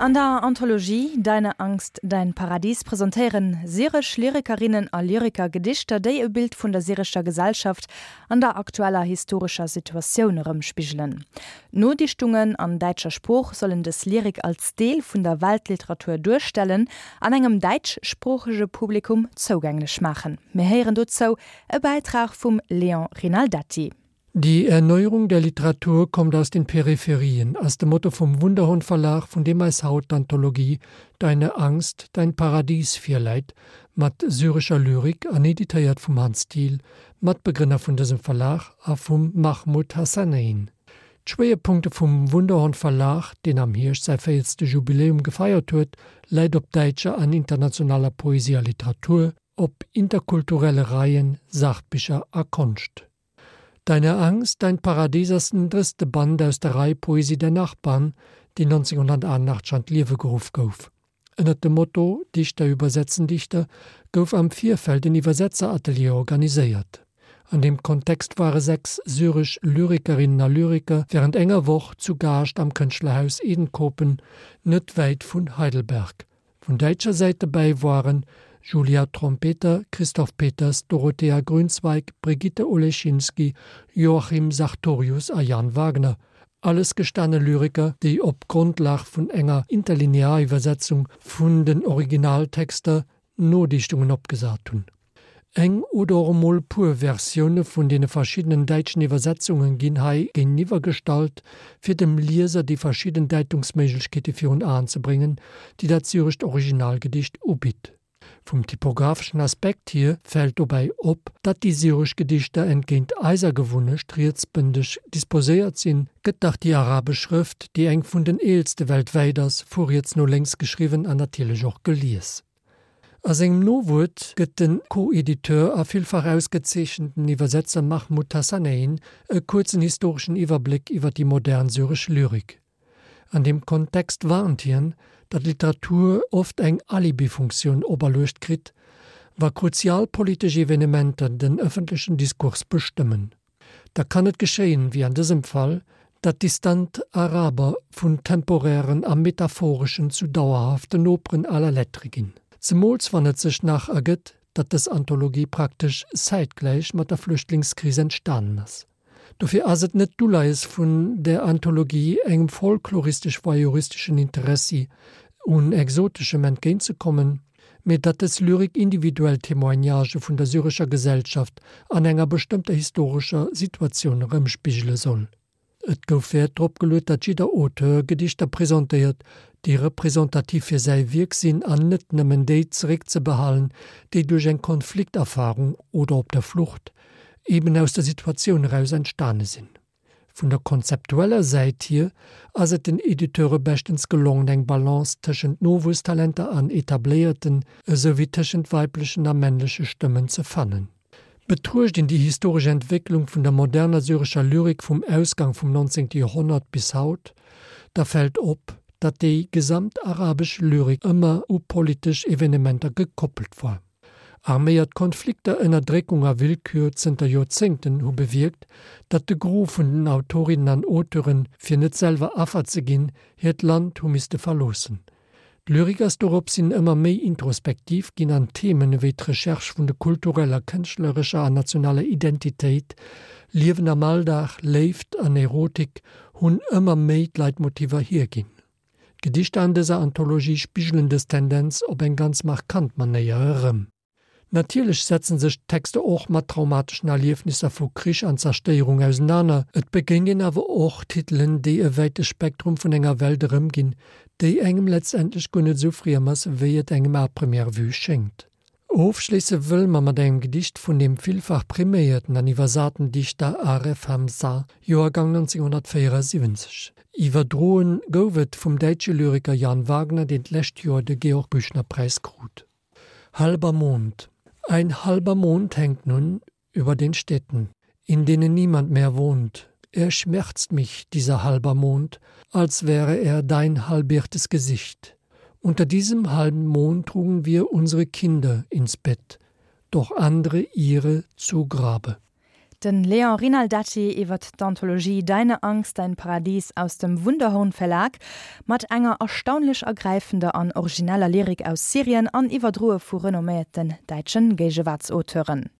An der Anthologie Deine Angst, dein Paradies presentéieren syresch Lyrikerinnen a Lyriker Gedichter, déi e Bild vun der syrescher Gesellschaft an der aktueller historescher Situatioun erëmspigelen. D'Nodichtungen an däitscher Sprooch sollen dës Lyrik als Deel vun der Weltliteratur duerstellen an engem däitschsproochege Publikum zougänglech maachen. Mir héieren dozou e Bäitrag vum Léon Rinaldetti. Die Erneuerung der Literatur kommt aus den Peripherien ass de Motto vum Wunderhorn Verlag, vun deem eis haut d'Anthologie Deine Angst, dein Paradies virläit, mat syrescher Lyrik an editéiert vum Hans Thiel, Matbegrënner vun dësem Verlag, a vum Mahmoud Hassanein. D'Schwéierpunkte vum Wunderhorn Verlag, deen am Hierscht säi véiertste Jubiläum gefeiert huet, läit op däitscher an internationaler Poesie a Literatur, op interkulturelle Reien, Sachbicher a Konscht. Deine Angst, dein Paradies ass den drësste Band aus der Rei Poesie der Nachbarn, déi 1988 an d'Liewe geruff gouf. Ënnert dem Motto Dichter übersetzen Dichter gouf am Virfeld en Iwwersetzeratelier organiséiert. An deem Kontext ware 6 syresch Lyrikerinnen a Lyriker wärend enger Woch zu Gaascht am Kënschtlerhaus Edenkoben, net wäit vun Heidelberg. Vun däitscher Säit dobäi waren Julia Trompeter, Christoph Peters, Dorothea Grünzweig, Brigitte Oleschinski, Joachim Sartorius a Jan Wagner, alles gestane Lyriker, déi op Grondlag vun enger Interlineariwwersetzung vun den Originaltexter Nodichtungen opgesat hunn. Eng oder och emol puer Versioune vun deene verschiddenen däitschen Iwwersetzunge ginn hei géinteniwwer gestallt, fir dem Lieser déi verschidden Däitungsméiglechkeete virun Aen ze bréngen, déi dat syrescht Originalgedicht ubitt. Vum typographeschen Aspekt hier fält dobäi op, datt déi syresch Gedichter entgéint eiser Gewunnecht rietsbëndeg disposéiert sinn, gëtt dach déi arabesch Schrëft, déi eng vun den eelste weltwäit ass, vu riets no lénks geschriwwen an natierlech och gelies. A sengem Nowuert gëtt de Co-Editeur a villfach ausgezeechenten Iwwersetzer Mahmoud Hassanein e kuerzen historeschen Iwwerbléck iwwer déi modern syresch Lyrik. An deem Kontext warnt hien, datt Literatur oft eng Alibifunktioun operluecht kritt, wa kruzial politesch Evenementer den ëffentlechen Diskurs bestëmmen. Da kann et geschéien, wéi an dësem Fall, datt distant Araber vun temporären a metaphoreschen zu dauerhaften Noperen à la lettre ginn. Zemools wann et sech nach ergëtt, datt dës Anthologie praktesch zäitgläich mat der Flüchtlingskris entstanen ass. Dofir ass et net d'Uleies vun der Anthologie, engem folkloristesch-voyeuristeschen Interessi un Exoteschem entgéintzekommen, mee datt dës Lyrik individuell Témoignagë vun der syrescher Gesellschaft an enger bestëmmter historescher Situatioun erëmspigele soll. Et gouf Wäert drop geluet, datt jidder Auteur Gedichter presentéiert, déi representativ fir säi Wierk sinn an net nëmmen déi zeréckzebehalen, déi duerch eng Konflikterfarung oder op der Flucht eben aus der Situatioun eraus entstane sinn. Vun der konzeptueller Säit hier ass et den Editeure beschtens gelongen eng Balance tëschent Nowuesstalenter an etabléierten, esou wéi tëschent weiblechen a männleche Stëmmen ze fannen. Betruecht een déi historesch Entwécklung vun der moderner syrescher Lyrik vum Ausgang vum 19. Joerhonnert bis haut, da fält op, datt déi gesamt arabesch Lyrik ëmmer u politesch Evenementer gekoppelt war. Arméiert Konflikter, Ënnerdréckung a Willkür zënter Joerzéngten hu bewierkt, datt de Gros vun den Autorinnen an Auteuren, fir net selwer Affer ze ginn, hiert Land hu misste verloossen. D'Lyrik ass doropshin ëmmer méi introspektiv ginn an Themen ewéi d'Recherche vun de kultureller, kënschtlerescher an nationaler Identitéit, Liewen am Alldag, Léift an Erotik hunn ëmmer méi d'Leitmotiver hierginn. D'Gedichter an dëser Anthologie spigelen dës Tendenz op eng ganz markant Manéier erëm. Natierlech setzen sech d'Texter och mat traumateschen Erliefnisser vu Krich an Zerstéierung ausenaner, et begéint een awer och Titelen, déi e wäite Spektrum vun enger Welt erëmginn, déi engem letztendlech guer net esou friem ass, wéi et engem à première vue schéngt. Ofschléisse wëlle mer mat engem Gedicht vun dem villfach priméierten an iwwersaten Dichter Aref Hamza, Joergang 1974. Iwwerdroen gouf et vum däitsche Lyriker Jan Wagner, deen d'lescht Joer de Georg-Büchner-Präis krut. Halber Mond Ein halber Mond hängt nun über den Städten, in denen niemand mehr wohnt. Er schmerzt mich, dieser halber Mond, als wäre er dein halbiertes Gesicht. Unter diesem halben Mond trugen wir unsere Kinder ins Bett, doch andere ihre zu Grabe. Den Léon Rinaldetti iwwer d'Anthologie Deine Angst, dein Paradies aus dem Wunderhorn Verlag mat enger erstaunlech ergräifender an origineller Lyrik aus Syrien an iwwerdroe vu renomméierten däitschen Géigewaartsauteuren.